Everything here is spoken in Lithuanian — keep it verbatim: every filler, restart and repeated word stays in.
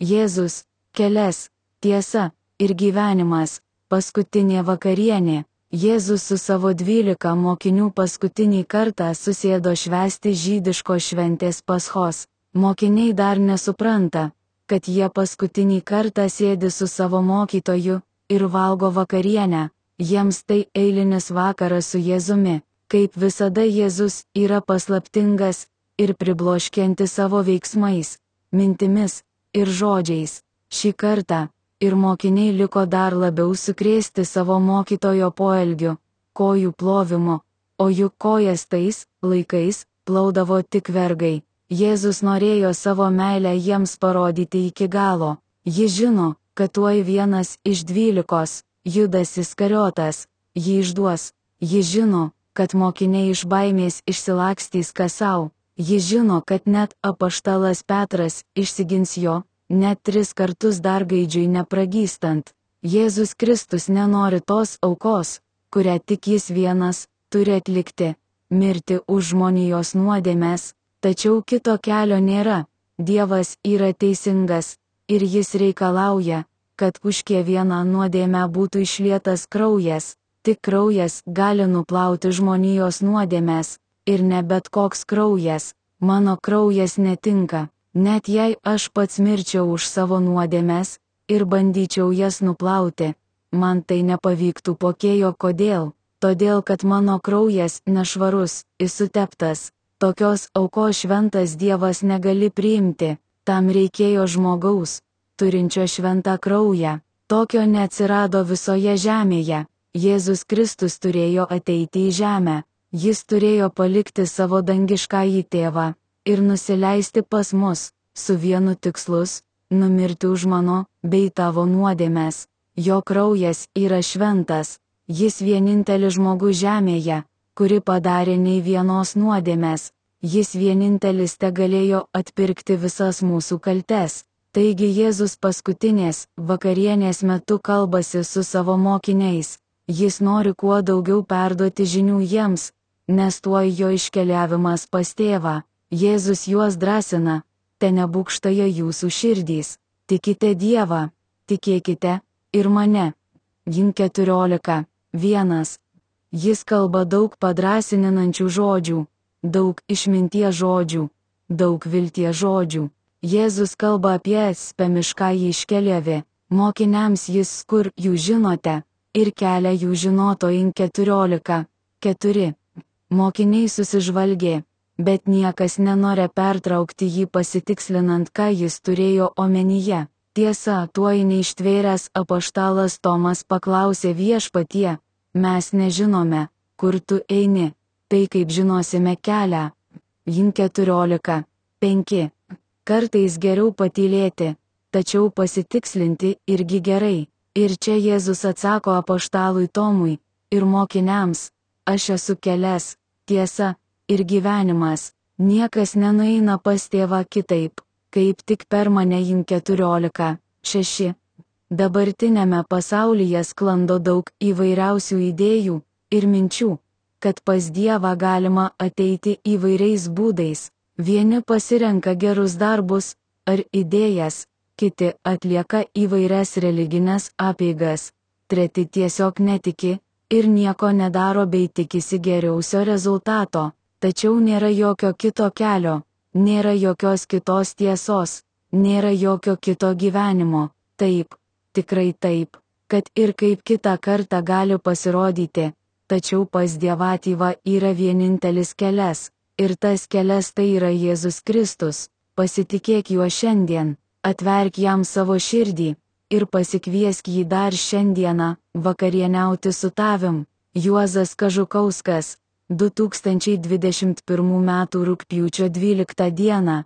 Jėzus, kelias, tiesa ir gyvenimas, paskutinė vakarienė. Jėzus su savo dvylika mokinių paskutinį kartą susėdo švęsti žydiško šventės Paschos. Mokiniai dar nesupranta, kad jie paskutinį kartą sėdi su savo mokytoju ir valgo vakarienę. Jiems tai eilinis vakaras su Jėzumi. Kaip visada Jėzus yra paslaptingas ir pribloškiantis savo veiksmais, mintimis ir žodžiais. Šį kartą ir mokiniai liko dar labiau sukrėsti savo mokytojo poelgiu, kojų plovimu, o juk kojas tais laikais plaudavo tik vergai. Jėzus norėjo savo meilę jiems parodyti iki galo. Jis žino, kad tuoj vienas iš dvylikos, Judas Iskariotas, jį išduos. Jis žino, kad mokiniai iš baimės išsilakstys kas sau. Jis žino, kad net apaštalas Petras išsigins jo, net tris kartus dar gaidžiui nepragystant. Jėzus Kristus nenori tos aukos, kurią tik jis vienas turi atlikti - mirti už žmonijos nuodėmes, tačiau kito kelio nėra. Dievas yra teisingas ir jis reikalauja, kad už kiekvieną nuodėmę būtų išlietas kraujas. Tik kraujas gali nuplauti žmonijos nuodėmes, ir ne bet koks kraujas. Mano kraujas netinka, net jei aš pats mirčiau už savo nuodėmes ir bandyčiau jas nuplauti. Man tai nepavyktų pokėjo kodėl, todėl kad mano kraujas nešvarus, įsuteptas. Tokios aukos šventas Dievas negali priimti, tam reikėjo žmogaus, turinčio šventą kraują. Tokio neatsirado visoje žemėje. Jėzus Kristus turėjo ateiti į žemę. Jis turėjo palikti savo dangiškąjį tėvą ir nusileisti pas mus, su vienu tikslus - numirti už mano bei tavo nuodėmes. Jo kraujas yra šventas, jis vienintelis žmogus žemėje, kuri padarė nei vienos nuodėmės. Jis vienintelis te galėjo atpirkti visas mūsų kaltes. Taigi Jėzus paskutinės vakarienės metu kalbasi su savo mokiniais. Jis nori kuo daugiau perduoti žinių jiems, nes tuoj jo iškeliavimas pas tėvą. Jėzus juos drąsina, te nebūkštaja jūsų širdys. Tikite Dievą, tikėkite ir mane. Jin keturiolika, vienas. Jis kalba daug padrasininančių žodžių, daug išminties žodžių, daug vilties žodžių. Jėzus kalba apie spemiškąjį iškeliavį, mokiniams jis kur jūs žinote, ir kelia jų žinotojin keturiolika, keturi. Mokiniai susižvalgė, bet niekas nenori pertraukti jį pasitikslinant, ką jis turėjo omenyje. Tiesa, tuoj neištvėręs apaštalas Tomas paklausė Viešpatie, mes nežinome, kur tu eini, tai kaip žinosime kelią. Jin keturiolika, penki. Kartais geriau patylėti, tačiau pasitikslinti irgi gerai. Ir čia Jėzus atsako apaštalui Tomui ir mokiniams, aš esu kelias, tiesa ir gyvenimas. Niekas nenueina pas tėvą kitaip, kaip tik per mane. Jin keturiolika, šeši. Dabartinėme pasaulyje sklando daug įvairiausių idėjų ir minčių, kad pas Dievą galima ateiti įvairiais būdais. Vieni pasirenka gerus darbus ar idėjas, kiti atlieka įvairias religinės apeigas, treti tiesiog netiki ir nieko nedaro bei tikisi geriausio rezultato. Tačiau nėra jokio kito kelio, nėra jokios kitos tiesos, nėra jokio kito gyvenimo. Taip, tikrai taip, kad ir kaip kitą kartą gali pasirodyti, tačiau pas Dievatyvą yra vienintelis kelias, ir tas kelias tai yra Jėzus Kristus. Pasitikėk juo šiandien, atverk jam savo širdį ir pasikviesk jį dar šiandieną vakarieniauti su tavim. Juozas Kažukauskas, du tūkstančiai dvidešimt pirmų metų rugpjūčio dvyliktą dieną.